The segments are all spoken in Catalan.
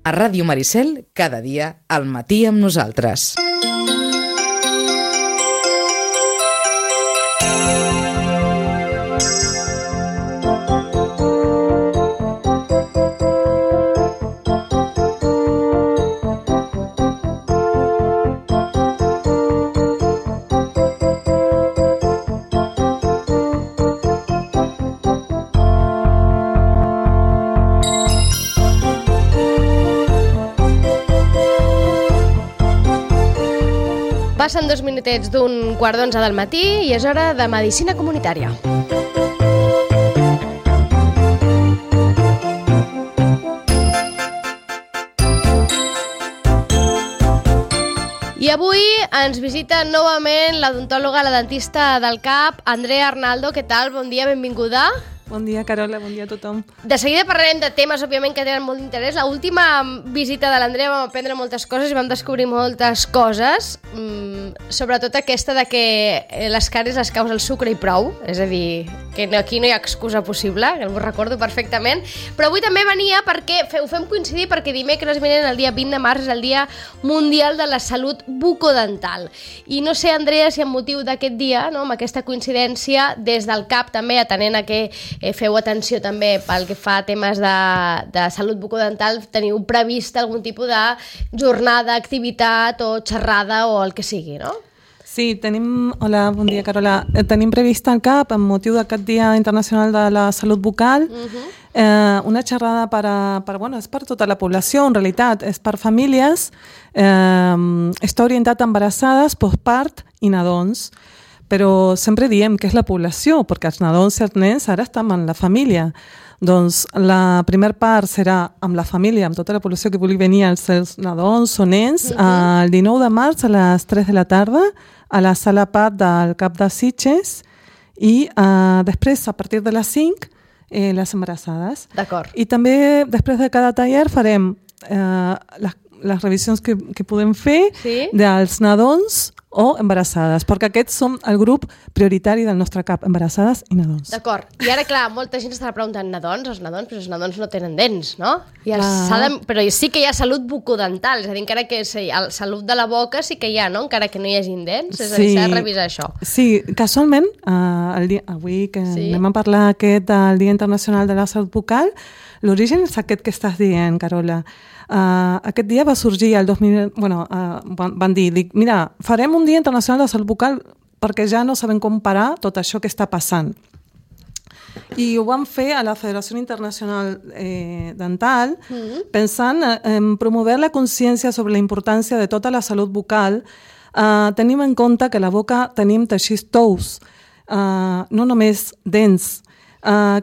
A Ràdio Maricel, cada dia al matí amb nosaltres. Passen 2 minutets d'un 10:15 del matí i és hora de Medicina Comunitària. I avui ens visita novament l'odontòloga, la dentista del CAP, Andrea Arnaldo. Què tal? Bon dia, benvinguda. Bon dia, Carola, bon dia a tothom. De seguida parlarem de temes, òbviament, que tenen molt d'interès. L'última visita de l'Andrea vam aprendre moltes coses i vam descobrir moltes coses, sobretot aquesta de que les càries les causa el sucre i prou, és a dir, que aquí no hi ha excusa possible, que ho recordo perfectament, però avui també venia perquè ho fem coincidir perquè dimecres vinent, el dia 20 de març, és el Dia Mundial de la Salut Bucodental. I no sé, Andrea, si amb motiu d'aquest dia, no, amb aquesta coincidència, des del CAP també, atenent a que feu atenció també pel que fa a temes de salut bucodental, teniu previst algun tipus de jornada, activitat o xerrada o el que sigui, no? Sí, hola, bon dia, Carola. Tenim previst al CAP, amb motiu d'aquest Dia Internacional de la Salut Bucal, una xerrada és per tota la població, en realitat, és per famílies, està orientat a embarassades, postpart i nadons. Però sempre diem que és la població, perquè els nadons i els nens ara estan en la família. Doncs la primera part serà amb la família, amb tota la població que vulgui venir, els seus nadons o nens, el 19 de març a les 3 de la tarda, a la sala PAT del CAP de Sitges, i després, a partir de les 5, les embarassades. D'acord. I també, després de cada taller, farem les revisions que podem fer dels nadons o embarassades, perquè aquests són el grup prioritari del nostre CAP, embarassades i nadons. D'acord. I ara, clar, molta gent estarà preguntant nadons, però els nadons no tenen dents, no? Però sí que hi ha salut bucodental, és a dir, encara que salut de la boca sí que hi ha, no? Encara que no hi hagi dents, és a dir, s'ha de revisar això. Sí, casualment, avui que anem a parlar del Dia Internacional de la Salut Bucal, l'origen és aquest que estàs dient, Carola. Aquest dia va sorgir el 2000... van dir, mira, farem un Dia Internacional de Salut Bucal perquè ja no sabem com parar tot això que està passant. I ho vam fer a la Federació Internacional Dental pensant en promoure la consciència sobre la importància de tota la salut bucal. Tenim en compte que a la boca tenim teixits tous, no només dents,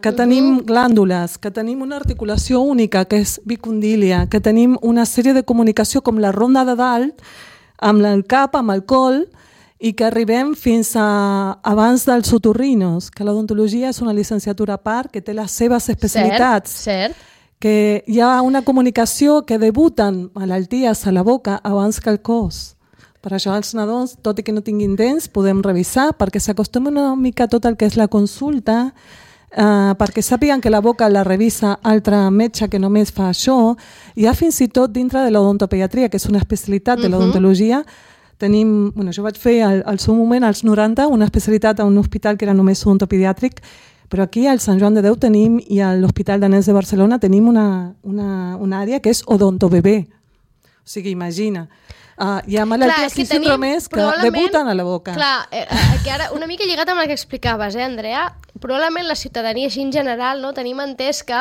que tenim glàndules, que tenim una articulació única, que és bicondília, que tenim una sèrie de comunicació com la ronda de dalt, amb el cap, amb el col, i que arribem fins abans dels otorrinos, que l'odontologia és una llicenciatura a part, que té les seves especialitats. Cert. Que hi ha una comunicació que debuten malalties a la boca abans que el cos. Per això els nadons, tot i que no tinguin dents, podem revisar, perquè s'acostumen una mica tot el que és la consulta, perquè sàpiguen que la boca la revisa altre metge que només fa això. Hi ha fins i tot dintre de l'odontopediatria, que és una especialitat de l'odontologia. Jo vaig fer al seu moment, als 90, una especialitat a un hospital que era només odontopediàtric, però aquí al Sant Joan de Déu tenim, i a l'Hospital Danès de Barcelona tenim una àrea que és odontobebè. O sigui, imagina. Hi ha malalties i síndromes que debuten a la boca. Clar, que ara una mica lligat amb el que explicaves, Andrea, probablement la ciutadania així en general, no, tenim entès que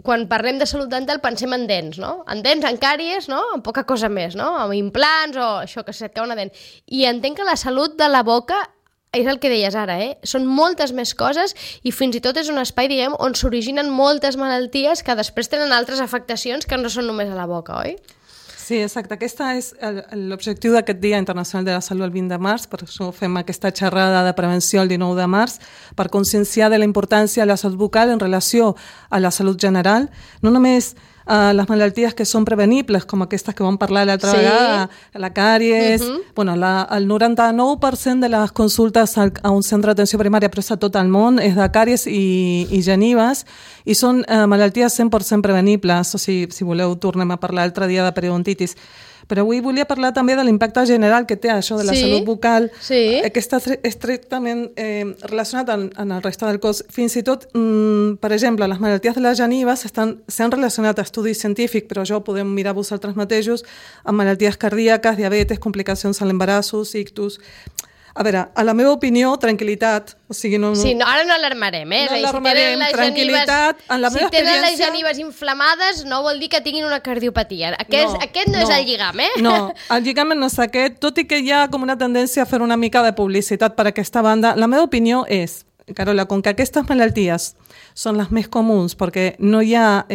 quan parlem de salut dental pensem en dents, no? En dents, en càries, no? En poca cosa més, no? Amb implants o això que se't cau una dent. I entenc que la salut de la boca és el que deies ara, són moltes més coses i fins i tot és un espai, diguem, on s'originen moltes malalties que després tenen altres afectacions que no són només a la boca, oi? Sí, exacte. Aquest és l'objectiu d'aquest Dia Internacional de la Salut el 20 de març, per això fem aquesta xerrada de prevenció el 19 de març, per conscienciar de la importància de la salut bucal en relació a la salut general, no només les malalties que són prevenibles, com aquestes que vam parlar l'altra vegada, la càries, bueno, el 99% de les consultes a un centre d'atenció primària, però és a tot el món, és de càries i genives, i són malalties 100% prevenibles, o sigui, si voleu tornem a parlar l'altre dia de periodontitis. Però avui volia parlar també de l'impacte general que té això de la salut bucal, que està estrictament relacionat amb el reste del cos. Fins i tot, per exemple, les malalties de les genives s'han relacionat a estudis científics, però jo podem mirar vosaltres mateixos, amb malalties cardíaques, diabetes, complicacions a l'embarassos, ictus. A veure, a la meva opinió, tranquil·litat. O sigui, ara no alarmarem, No alarmarem, tranquil·litat. Si tenen les genives inflamades, no vol dir que tinguin una cardiopatia. Aquest no és el lligam, No, el lligam no és aquest, tot i que hi ha com una tendència a fer una mica de publicitat per aquesta banda. La meva opinió és, Carola, com que aquestes malalties són les més comuns perquè no hi ha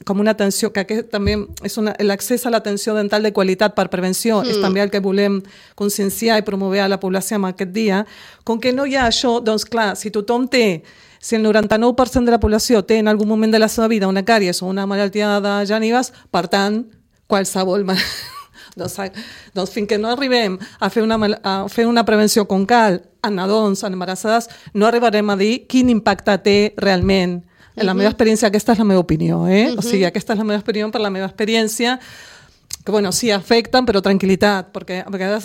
com una atenció, que aquest també és l'accés a l'atenció dental de qualitat per prevenció, és també el que volem conscienciar i promoure a la població en aquest dia. Com que no hi ha això, doncs clar, si tothom té, si el 99% de la població té en algun moment de la seva vida una càries o una malaltia de genives, per tant, qualsevol doncs fins que no arribem a fer una prevenció com cal en nadons, en embarassades, no arribarem a dir quin impacte té realment. En la meva experiència, aquesta és la meva opinió, O sigui, aquesta és la meva opinió per la meva experiència, que, bueno, sí, afecten, però tranquil·litat, perquè a vegades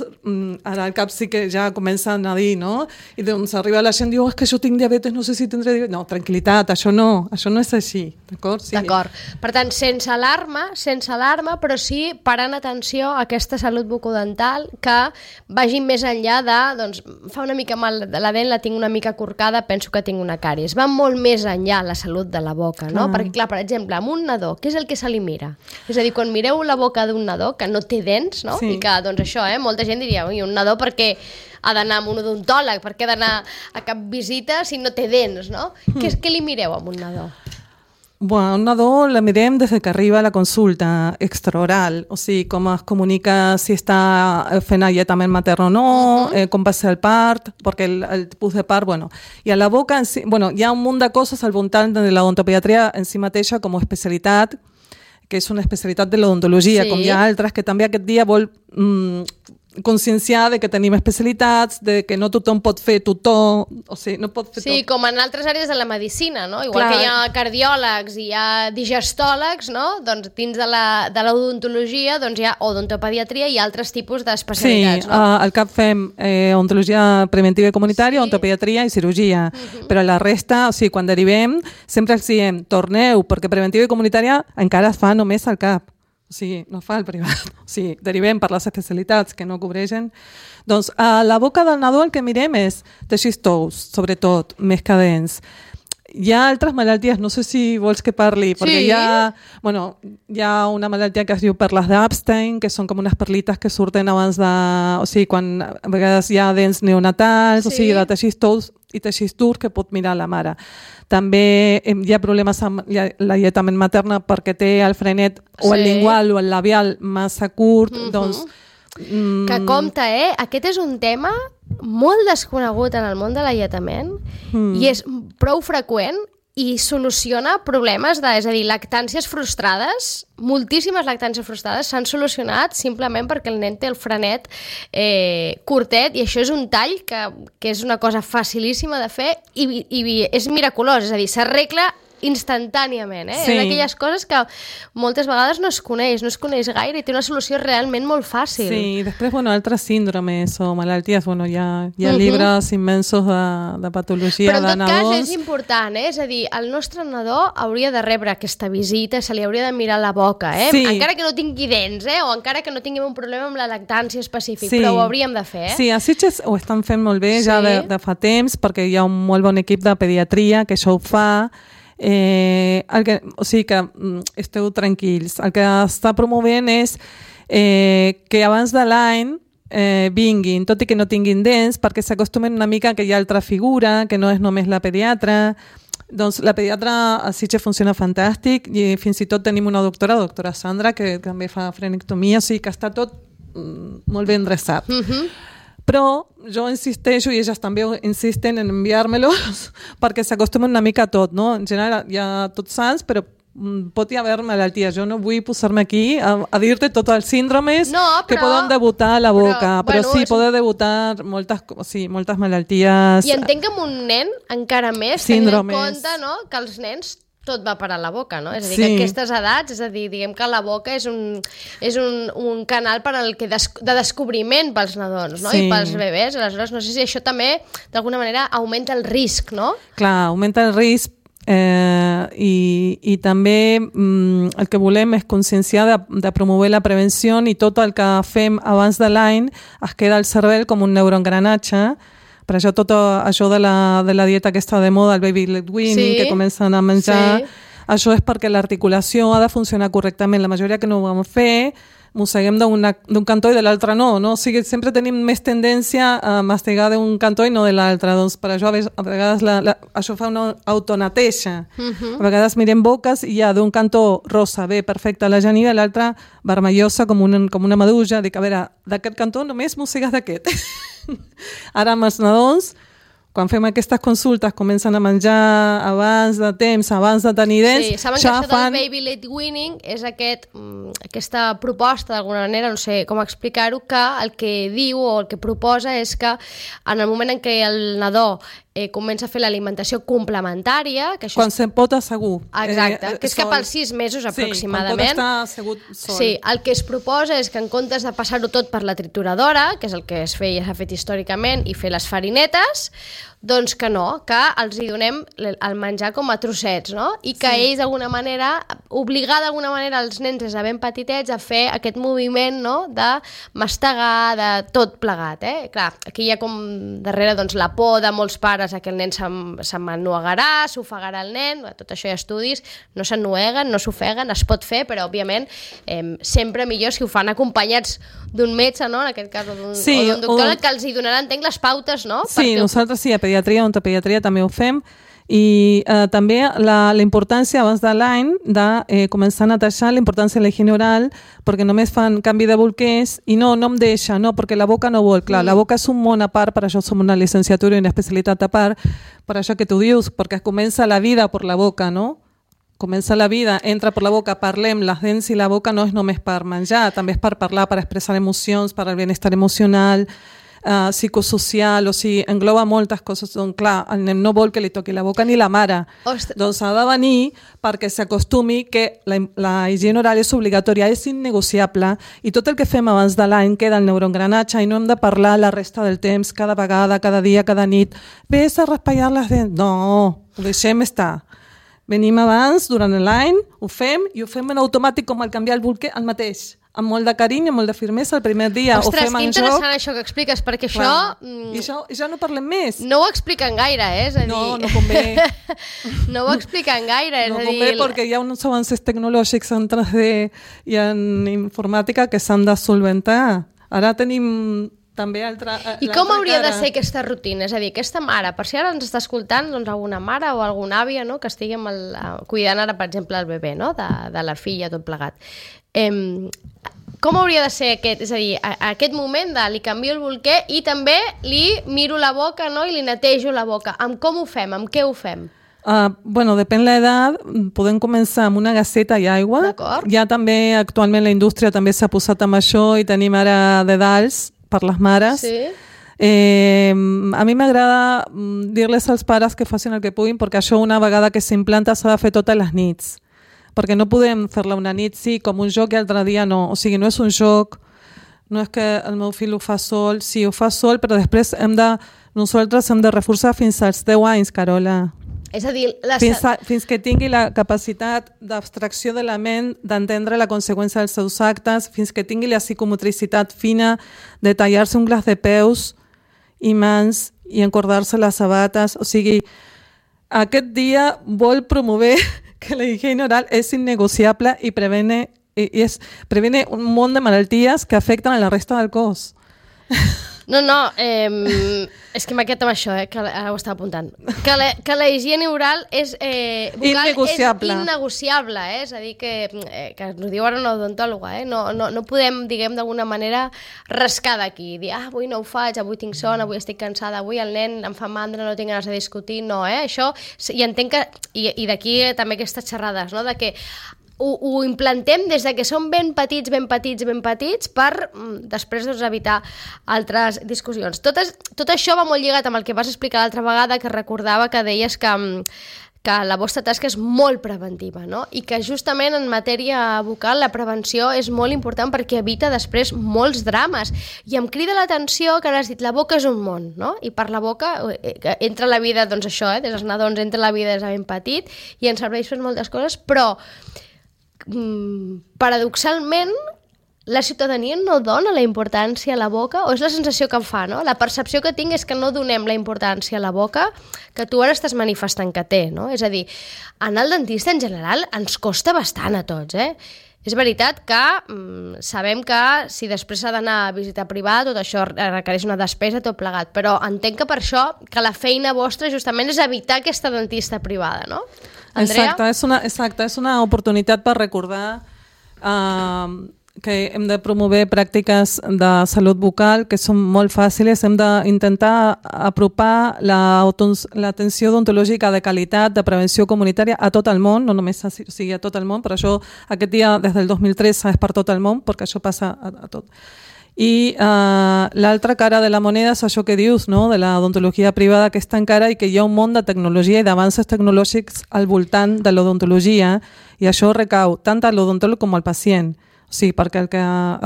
ara al cap sí que ja comencen a dir, no? I doncs arriba la gent i diu, és que jo tinc diabetes, no sé si tindré diabetes. No, tranquil·litat, això no és així, d'acord? Sí. D'acord. Per tant, sense alarma, però sí parant atenció a aquesta salut bucodental que vagin més enllà de, doncs, fa una mica mal de la dent, la tinc una mica corcada, penso que tinc una càries. Va molt més enllà la salut de la boca, no? Perquè, clar, per exemple, amb un nadó, què és el que se li mira? És a dir, quan mireu la boca d'un nadó que no té dents, no? I que, doncs això, molta gent diria, un nadó perquè ha d'anar amb un odontòleg, perquè ha d'anar a cap visita si no té dents, no? Què li mireu amb un nadó? Bueno, un nadó la mirem des que arriba a la consulta extraoral, o sigui, com es comunica si està fent alletament matern o no, com va ser el part, perquè el tipus de part, bueno, i a la boca, hi ha un munt de coses al voltant de l'odontopediatria en si mateixa com a especialitat, que és una especialitat de l'odontologia, com hi ha altres, que també aquest dia vol conscienciar de que tenim especialitats, de que no tothom pot fer tutó, o sigui, no pot fer tot. Sí, com en altres àrees de la medicina, no? Igual que hi ha cardiòlegs i hi ha digestòlegs, no? Doncs dins de l'odontologia doncs hi ha odontopediatria i altres tipus d'especialitats, no? Sí, al CAP fem odontologia preventiva i comunitària, odontopediatria i cirurgia, però la resta, o sigui, quan derivem, sempre els diem, torneu, perquè preventiva i comunitària encara es fa només al CAP. O sigui, no fa el privat. O sigui, derivem per les especialitats que no cobreixen. Doncs a la boca del nadó el que mirem és teixits tous, sobretot, més que dents. Hi ha altres malalties, no sé si vols que parli, perquè hi ha una malaltia que es diu perles d'Epstein, que són com unes perlites que surten abans de... O sigui, quan a vegades hi ha dents neonatals, o sigui, de teixits tous i teixits durs que pot mirar la mare. També hi ha problemes amb l'alletament materna perquè té el frenet o el lingual o el labial massa curt, doncs... Que compte, aquest és un tema molt desconegut en el món de l'alletament i és prou freqüent i soluciona problemes és a dir, lactàncies frustrades, moltíssimes lactàncies frustrades s'han solucionat simplement perquè el nen té el frenet curtet i això és un tall que és una cosa facilíssima de fer i és miraculós, és a dir, s'arregla instantàniament, Sí. És d'aquelles coses que moltes vegades no es coneix gaire i té una solució realment molt fàcil. Sí, i després, altres síndromes o malalties, hi ha llibres immensos de patologia però de nadons. Però en tot cas és important, és a dir, el nostre nadó hauria de rebre aquesta visita, se li hauria de mirar la boca, Sí. Encara que no tingui dents, o encara que no tinguem un problema amb la lactància específic, però ho hauríem de fer, Sí, a Sitges ho estan fent molt bé ja de fa temps, perquè hi ha un molt bon equip de pediatria que això ho fa. O sigui que esteu tranquils. El que està promovent és que abans de l'any vinguin, tot i que no tinguin dents, perquè s'acostumen una mica que hi ha altra figura, que no és només la pediatra. Doncs la pediatra a Sitges funciona fantàstic i fins i tot tenim una doctora Sandra, que també fa frenectomia, o sigui que està tot molt ben endreçat. Però jo insisteixo, i elles també insisten en enviar-me-los perquè s'acostumen una mica a tot, no? En general hi ha tots sants, però pot hi haver malalties. Jo no vull posar-me aquí a dir-te tots els síndromes que poden debutar a la boca, però sí, poden debutar moltes malalties. I entenc que amb un nen encara més, tenint en compte, no?, que els nens tot va parar a la boca, no? És a dir, que aquestes edats, és a dir, diguem que la boca és un canal per al que de descobriment pels nadons, no? I pels bebès. Aleshores, no sé si això també, d'alguna manera, augmenta el risc, no? Clar, augmenta el risc, i també el que volem és conscienciar de promoure la prevenció, i tot el que fem abans de l'any es queda al cervell com un neuroengranatge. Per això tot això de la dieta aquesta de moda, el baby led weaning, que comencen a menjar, això és perquè l'articulació ha de funcionar correctament. La majoria que no ho vam fer, mosseguem d'un cantó i de l'altre no? O sigui, sempre tenim més tendència a mastigar d'un cantó i no de l'altre. Doncs per això a vegades això fa una autoneteja. A vegades mirem boques i hi ha d'un cantó rosa, bé, perfecte, la geniva, i l'altra vermellosa com una medusa. Dic, a veure, d'aquest cantó només mossegues d'aquest. Ara amb els nadons, quan fem aquestes consultes, comencen a menjar abans de temps, abans de tenir dents. Sí, saben que això del baby led weaning és aquesta proposta, d'alguna manera, no sé com explicar-ho, que el que diu o el que proposa és que en el moment en què el nadó comença a fer l'alimentació complementària... Que això quan se'n pot assegur. Exacte, que és cap als 6 mesos aproximadament. Sí, quan pot estar assegut sol. Sí, el que es proposa és que en comptes de passar-ho tot per la trituradora, que és el que s'ha fet històricament, i fer les farinetes, doncs que no, que els hi donem el menjar com a trossets, no? I que ells, d'alguna manera, obligar d'alguna manera els nens des de ben petitets a fer aquest moviment, no?, de mastegar, de tot plegat, Clar, aquí hi ha com darrere doncs, la por de molts pares a que el nen s'ennuegarà, s'ofegarà el nen, tot això hi ha estudis, no s'ennueguen, no s'ofeguen, es pot fer, però òbviament sempre millor si ho fan acompanyats d'un metge, no?, en aquest cas, o d'un doctor, que els hi donarà, entenc, les pautes, no? Sí, nosaltres sí, a pediatria, odontopediatria també ho fem, i també la importància abans de l'any de començar a netejar, la importància de la higiene oral, perquè només fan canvi de bolquers i no em deixa, no, perquè la boca no vol. Clar, la boca és un món a part, per això som una licenciatura i una especialitat a part, per això que tu dius, perquè comença la vida per la boca, no? Comença la vida, entra per la boca, parlem, les dents i la boca no és només per menjar, també és per parlar, per expressar emocions, per al benestar emocional, psicosocial, o sigui, engloba moltes coses. Doncs clar, el nen no vol que li toqui la boca ni la mare. Doncs ha de venir perquè s'acostumi que la higiene oral és obligatòria, és innegociable, i tot el que fem abans de l'any queda el neuroengranatge i no hem de parlar la resta del temps, cada vegada, cada dia, cada nit. Ves a raspallar les dents. No, ho deixem estar. Venim abans, durant l'any, ho fem, i ho fem en automàtic com el canviar el bolquer, el mateix. Amb molt de carinyo, amb molt de firmesa el primer dia. Ostres, que interessant això que expliques, perquè això... I ja no parlem més. No ho expliquen gaire, és a dir... No convé. No ho expliquen gaire, és a dir... No convé perquè hi ha uns avances tecnològics en 3D i en informàtica que s'han de solventar. Ara tenim també I com hauria de ser aquesta rutina? És a dir, aquesta mare, per si ara ens està escoltant doncs, alguna mare o alguna àvia, no?, que estigui cuidant ara, per exemple, el bebè, no?, de la filla, tot plegat. Com hauria de ser aquest? És a dir, aquest moment de li canvio el bolquer i també li miro la boca, no?, i li netejo la boca. Amb com ho fem? Amb què ho fem? Bueno, depèn l'edat, podem començar amb una gasseta i aigua. D'acord. Ja també, actualment, la indústria també s'ha posat amb això i tenim ara dedals per les mares. Sí. A mi m'agrada dir-les als pares que facin el que puguin, perquè això una vegada que s'implanta s'ha de fer totes les nits, perquè no podem fer-la una nit sí, com un joc, i l'altre dia no. O sigui, no és un joc, no és que el meu fill ho fa sol, sí, ho fa sol, però després nosaltres hem de reforçar fins als 10 anys, Carola. És a dir, fins que tingui la capacitat d'abstracció de la ment, d'entendre la conseqüència dels seus actes, fins que tingui la psicomotricitat fina de tallar-se un glaç de peus i mans i encordar-se les sabates. O sigui, aquest dia vol promoure que la higiene oral és innegociable i prevene un munt de malalties que afecten a la resta del cos. És que m'ha quedat amb això, que ara ho estava apuntant. Que la higiene oral és vocal innegociable, és a dir, que ens ho diu ara una odontòloga, no podem, diguem, d'alguna manera rascar d'aquí, dir, avui no ho faig, avui tinc son, avui estic cansada, avui el nen em fa mandra, no tinc ganes de discutir, no, això, i entenc que, i d'aquí també aquestes xerrades, no?, de que ho implantem des de que som ben petits per després evitar altres discussions. Tot això va molt lligat amb el que vas explicar l'altra vegada, que recordava que deies que la vostra tasca és molt preventiva, no? I que justament en matèria vocal la prevenció és molt important perquè evita després molts drames. I em crida l'atenció que has dit la boca és un món, no? I per la boca entra la vida, doncs això, des dels nadons entra la vida des de ben petit i ens serveix per moltes coses, però paradoxalment la ciutadania no dona la importància a la boca, o és la sensació que em fa, no? La percepció que tinc és que no donem la importància a la boca que tu ara estàs manifestant que té, no? És a dir, anar al dentista en general ens costa bastant a tots, És veritat que sabem que si després s'ha d'anar a visita privada, tot això requereix una despesa, tot plegat, però entenc que per això que la feina vostra justament és evitar aquesta dentista privada, no? Andrea? Exacte, és una oportunitat per recordar que hem de promover pràctiques de salut bucal que són molt fàcils, hem d'intentar apropar l'atenció odontològica de qualitat, de prevenció comunitària a tot el món, no només a tot el món, per això aquest dia des del 2003 és per tot el món, perquè això passa a tot. I l'altra cara de la moneda és això que dius, no? De l'odontologia privada, que és tan cara i que hi ha un món de tecnologia i d'avanços tecnològics al voltant de l'odontologia, i això recau tant a l'odontòleg com al pacient. O sigui, perquè el que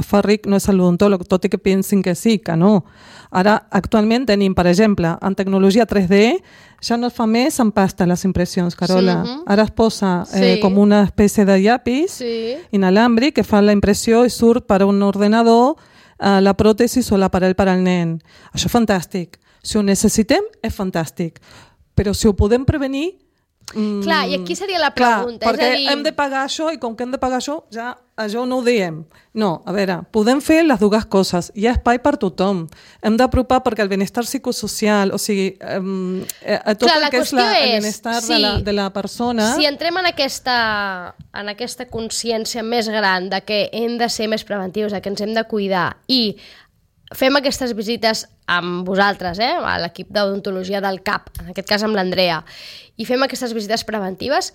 fa ric no és l'odontòleg, tot i que pensin que sí, que no. Ara, actualment tenim, per exemple, en tecnologia 3D, ja no es fa més en pasta les impressions, Carola. Sí. Ara es posa com una espècie de llapis inalàmbric que fa la impressió i surt per un ordenador la pròtesi o l'aparell per al nen. Això és fantàstic. Si ho necessitem, és fantàstic. Però si ho podem prevenir... Clar, i aquí seria la pregunta. Clar, perquè hem de pagar això i com que hem de pagar això, ja això no ho diem. No, a veure, podem fer les dues coses. Hi ha espai per tothom. Hem d'apropar perquè el benestar psicosocial, o sigui, tot el que és el benestar de la persona... Si entrem en aquesta consciència més gran de que hem de ser més preventius, de que ens hem de cuidar i fem aquestes visites amb vosaltres, a l'equip d'odontologia del CAP, en aquest cas amb l'Andrea, i fem aquestes visites preventives,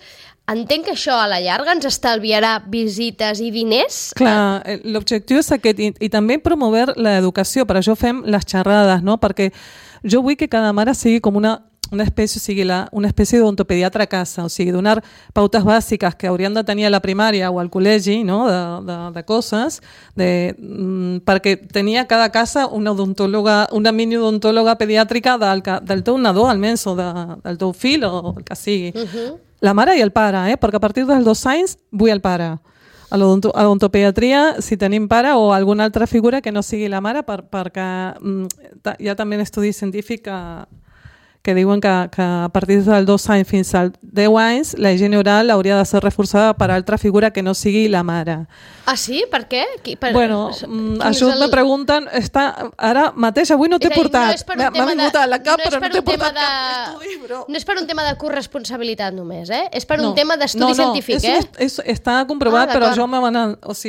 entenc que això a la llarga ens estalviarà visites i diners? Clar, l'objectiu és aquest, i també promoure l'educació, per això fem les xerrades, no? Perquè jo vull que cada mare sigui com una espècie, o sigui, una espècie d'odontopediatra a casa, o sigui, donar pautes bàsiques que haurien de tenir a la primària o al col·legi, no? de coses, perquè tenia a cada casa una odontòloga, una mini odontòloga pediàtrica del teu nadó, almenys, o del teu fill, o el que sigui. La mare i el pare, perquè a partir dels 2 anys vull el pare. A l'odontopediatria, si tenim pare o alguna altra figura que no sigui la mare, perquè hi ha també estudis científics que diuen que a partir dels 2 anys fins als 10 anys la higiene oral hauria de ser reforçada per altra figura que no sigui la mare. Ah, sí? Per què? Bueno, això me pregunten... Ara mateix, avui no t'he portat. M'ha vingut a la cap, però no t'he portat cap estudi, bro. No és per un tema de corresponsabilitat només, És per un tema d'estudi científic, està comprovat, però jo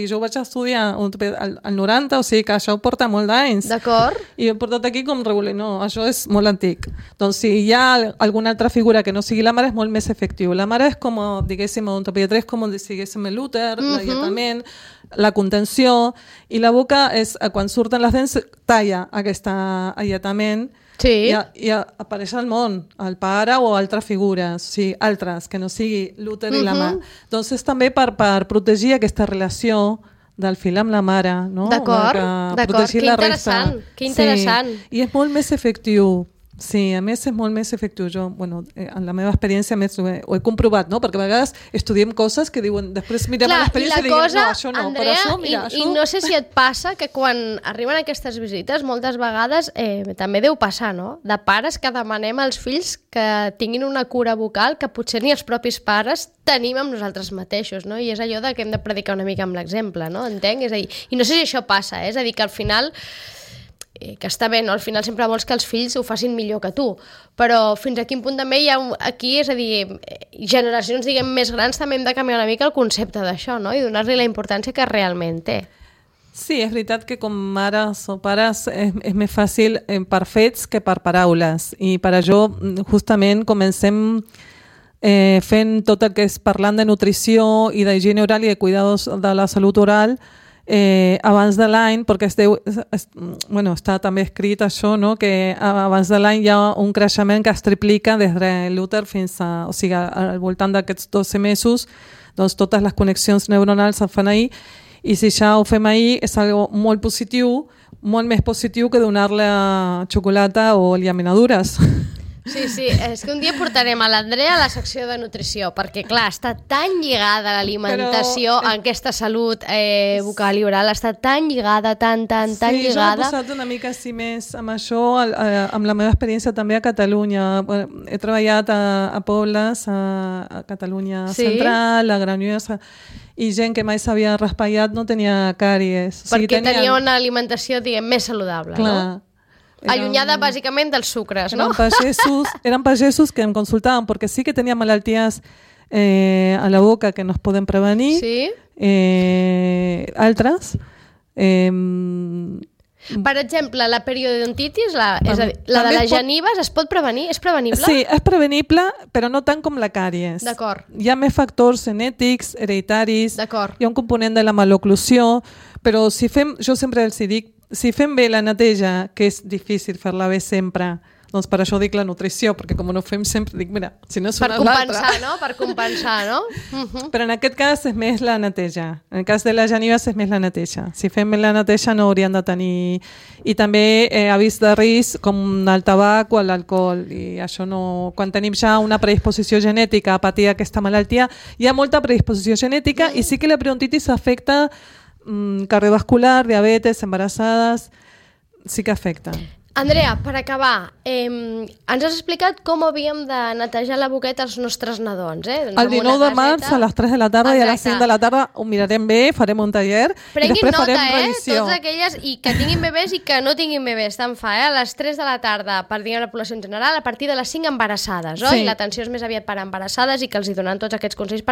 jo vaig estudiar al 90, o sigui que això porta molt d'anys. D'acord. I he portat aquí com regular. No, això és molt antic. Doncs si hi ha alguna altra figura que no sigui la mare, és molt més efectiu. La mare és com, diguéssim, odontopediatria és com, diguéssim, l'úter, l'alletament, la contenció, i la boca és, quan surten les dents, talla aquest alletament i apareix al món, el pare o altres figures, o sigui, altres, que no sigui l'úter i la mà. Doncs és també per protegir aquesta relació del fill amb la mare, no? D'acord, que interessant. I és molt més efectiu. Sí, a més és molt més efectiu. Jo, en la meva experiència més ho he comprovat, no? Perquè a vegades estudiem coses que diuen, després mirem l'experiència i diguem, no, això no, Andrea, però això, mira, això... I no sé si et passa que quan arriben aquestes visites, moltes vegades també deu passar, no? De pares que demanem als fills que tinguin una cura bucal que potser ni els propis pares tenim amb nosaltres mateixos, no? I és allò que hem de predicar una mica amb l'exemple, no? Entenc? És a dir, i no sé si això passa, és a dir, que al final... que està bé, no? Al final sempre vols que els fills ho facin millor que tu, però fins a quin punt també hi ha aquí, és a dir, generacions, diguem, més grans també hem de canviar una mica el concepte d'això, no? I donar-li la importància que realment té. Sí, és veritat que com mares o pares és més fàcil per fets que per paraules, i per això justament comencem fent tot el que és parlant de nutrició i d'higiene oral i de cuidados de la salut oral abans de l'any, perquè està també escrit això, no? Que abans de l'any hi ha un creixement que es triplica des de l'úter fins a, o sigui, al voltant d'aquests 12 mesos, doncs totes les connexions neuronals es fan ahir, i si ja ho fem ahir és algo molt positiu, molt més positiu que donar-li xocolata o llaminadures. Sí, és que un dia portarem a l'Andrea a la secció de nutrició, perquè clar, està tan lligada l'alimentació a aquesta salut bucal i oral, està tan lligada, tan lligada. Sí, jo he posat una mica així més amb això, amb la meva experiència també a Catalunya. He treballat a pobles, a Catalunya Central, a Granollers, i gent que mai s'havia raspallat no tenia càries. Perquè tenia una alimentació, diguem, més saludable, no? Allunyada bàsicament dels sucres, no? Eren pagesos que em consultaven perquè sí que tenia malalties a la boca que no es poden prevenir, altres. Per exemple, la periodontitis, és a dir, la de les genives, es pot prevenir? És prevenible? Sí, és prevenible, però no tant com la càries. D'acord. Hi ha més factors genètics, hereditaris, d'acord. Hi ha un component de la maloclusió, però si fem, jo sempre els dic, si fem bé la neteja, que és difícil fer-la bé sempre, doncs per això dic la nutrició, perquè com no ho fem sempre, dic, mira, si no és una l'altra... Per compensar, no? Però en aquest cas és més la neteja. En el cas de les genives és més la neteja. Si fem bé la neteja no haurien de tenir... I també avís de risc com el tabac o l'alcohol. I això no... Quan tenim ja una predisposició genètica a patir aquesta malaltia, hi ha molta predisposició genètica i sí que la periodontitis afecta cardiovascular, diabetes, embarassades, sí que afecta. Andrea, per acabar, ens has explicat com havíem de netejar la boqueta als nostres nadons, El 19 de març a les 3 de la tarda i a les 5 de la tarda ho mirarem bé, farem un taller i després farem revisió. Totes aquelles i que tinguin bebès i que no tinguin bebès, tant fa, a les 3 de la tarda per dir a la població en general, a partir de les 5 embarassades, oi? Sí. L'atenció és més aviat per embarassades i que els hi donen tots aquests consells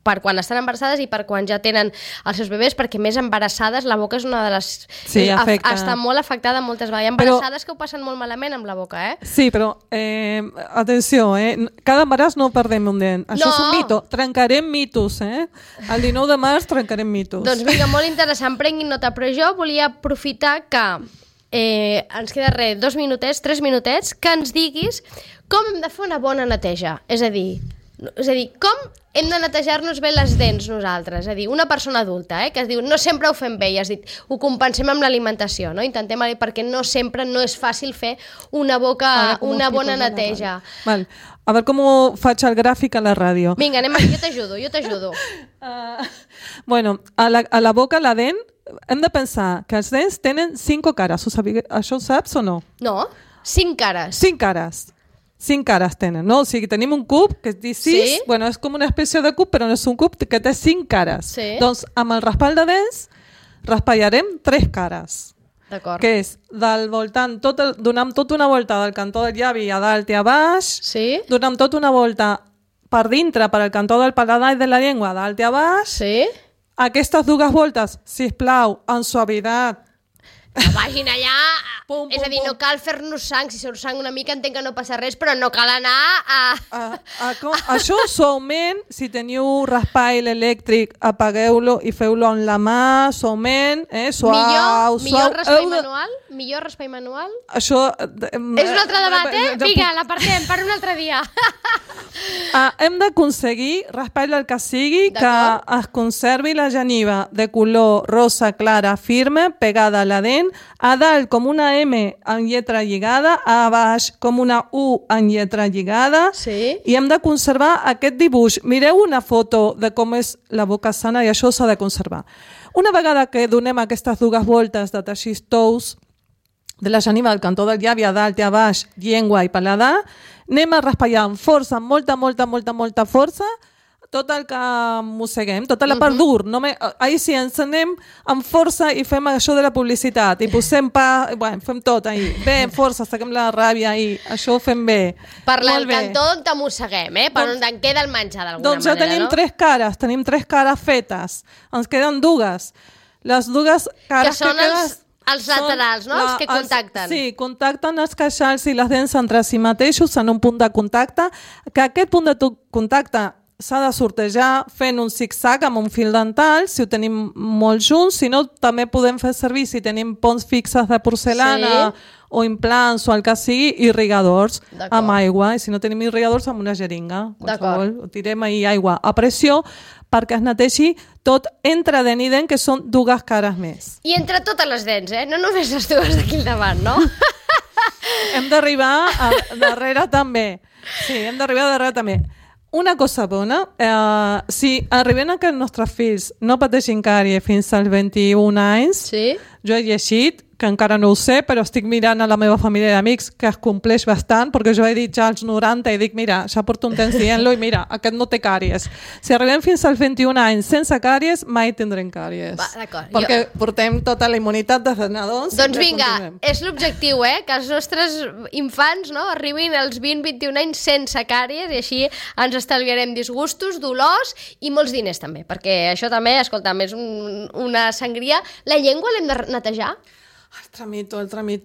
per quan estan embarassades i per quan ja tenen els seus bebès, perquè més embarassades la boca és una de les... Sí, afecta. Està molt afectada moltes vegades. Hi ha embarassades que ho passen molt malament amb la boca, Sí, però atenció, cada embaràs no perdem un dent. Això és un mito. Trencarem mitos, El 19 de març trencarem mitos. Doncs vinga, molt interessant, prenguin nota, però jo volia aprofitar que ens queda 2 minutets, 3 minutets, que ens diguis com hem de fer una bona neteja. És a dir, com hem de netejar-nos bé les dents nosaltres, és a dir, una persona adulta, que es diu no sempre ho fem bé, i has dit, ho compensem amb l'alimentació, no? Intentem, perquè no sempre no és fàcil fer una bona neteja. Val. A veure com ho faig el gràfic a la ràdio. Vinga, anem, jo t'ajudo. Bueno, a la boca, la dent, hem de pensar que els dents tenen 5 cares. Això ho saps o no? No, 5 cares. 5 cares. 5 cares tenen, no? O sigui, tenim un cub que es diu 6, bueno, és com una espècie de cub, però no és un cub que té 5 cares. Sí. Doncs amb el raspall de dents raspallarem 3 cares. D'acord. Que és del voltant, donant tota una volta del cantó del llavi a dalt i a baix, donant tota una volta per dintre, per al cantó del paladar i de la llengua, a dalt i a baix. Aquestes 2 voltes, sisplau, en suavitat. Que vagin allà, és a dir, no cal fer-nos sang, si surt sang una mica entenc que no passa res, però no cal anar a... Això suaument, si teniu raspall elèctric, apagueu-lo i feu-lo amb la mà, suaument, suau. Millor raspall manual? Millor raspall manual? Això... És un altre debat, Vinga, l'apartem per un altre dia. Hem d'aconseguir, raspall del que sigui, que es conservi la geniva de color rosa clara, firme, pegada a la dent, a dalt com una M en lletra lligada, a baix com una U en lletra lligada, i hem de conservar aquest dibuix. Mireu una foto de com és la boca sana i això s'ha de conservar. Una vegada que donem aquestes 2 voltes de teixits tous de la geniva del cantó del llavi a dalt i a baix, llengua i paladar, anem a raspallar amb força, amb molta força, tot el que mosseguem, tota la part dur. Ahir sí, ens anem amb força i fem això de la publicitat i posem fem tot ahir. Bé, amb força, saquem la ràbia i això ho fem bé. Per el cantó on te mosseguem, per on en queda el menjar d'alguna manera, doncs ja tenim tenim 3 cares fetes. Ens queden dues. Les dues cares que són els laterals, no? Els que contacten. Sí, contacten els queixals i les dents entre si mateixos en un punt de contacte, que aquest punt de contacte s'ha de sortejar fent un zig-zag amb un fil dental, si ho tenim molt junts, si no també podem fer servir, si tenim ponts fixes de porcelana o implants o el que sigui, irrigadors amb aigua, i si no tenim irrigadors amb una jeringa, qualsevol, tirem ahir aigua a pressió perquè es neteixi tot entre dent i dent, que són dues cares més. I entre totes les dents, no només les dues d'aquí al davant, no? Hem d'arribar darrere també. Sí, hem d'arribar darrere també. Una cosa bona, si arribem a que els nostres fills no pateixin càries fins als 21 anys, jo he llegit, que encara no ho sé, però estic mirant a la meva família d'amics que es compleix bastant, perquè jo he dit ja als 90 i dic, mira, ja porto un temps dient-lo i mira, aquest no té càries. Si arribem fins als 21 anys sense càries, mai tindrem càries. D'acord. Perquè portem tota la immunitat des de nadons. Doncs vinga, és l'objectiu, que els nostres infants arribin als 20-21 anys sense càries i així ens estalviarem disgustos, dolors i molts diners també, perquè això també, escolta'm, és una sangria. La llengua l'hem de netejar? El tramito.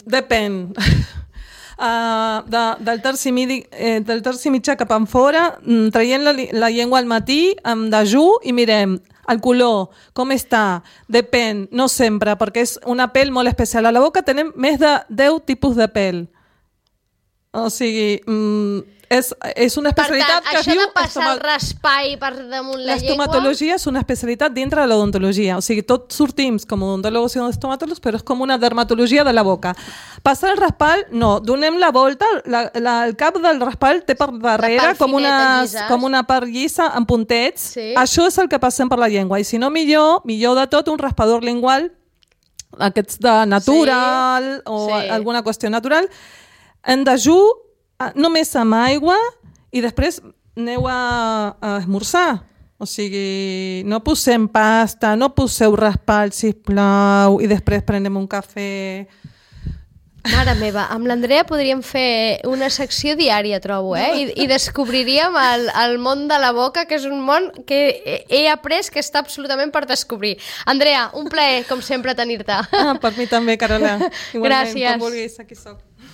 Depèn. Del terci mitjà cap enfora, traient la llengua al matí, amb dejú, i mirem el color, com està, depèn, no sempre, perquè és una pell molt especial. A la boca tenim més de 10 tipus de pell. O sigui, és una especialitat que es diu... Per tant, això de passar el raspall per damunt la llengua... L'estomatologia és una especialitat dintre de l'odontologia. O sigui, tots sortim com odontòlegs i estomatòlegs, però és com una dermatologia de la boca. Passar el raspall, no. Donem la volta, el cap del raspall té per darrere com una part llisa amb puntets. Sí. Això és el que passem per la llengua. I si no, millor de tot, un raspador lingual, aquests de natural o alguna qüestió natural, en dejú, només amb aigua, i després aneu a esmorzar. O sigui, no posem pasta, no poseu raspall, sisplau, i després prenem un cafè. Mare meva, amb l'Andrea podríem fer una secció diària, trobo, I descobriríem el món de la boca, que és un món que he après que està absolutament per descobrir. Andrea, un plaer, com sempre, tenir-te. Per mi també, Carola. Gràcies. Quan vulguis, aquí soc.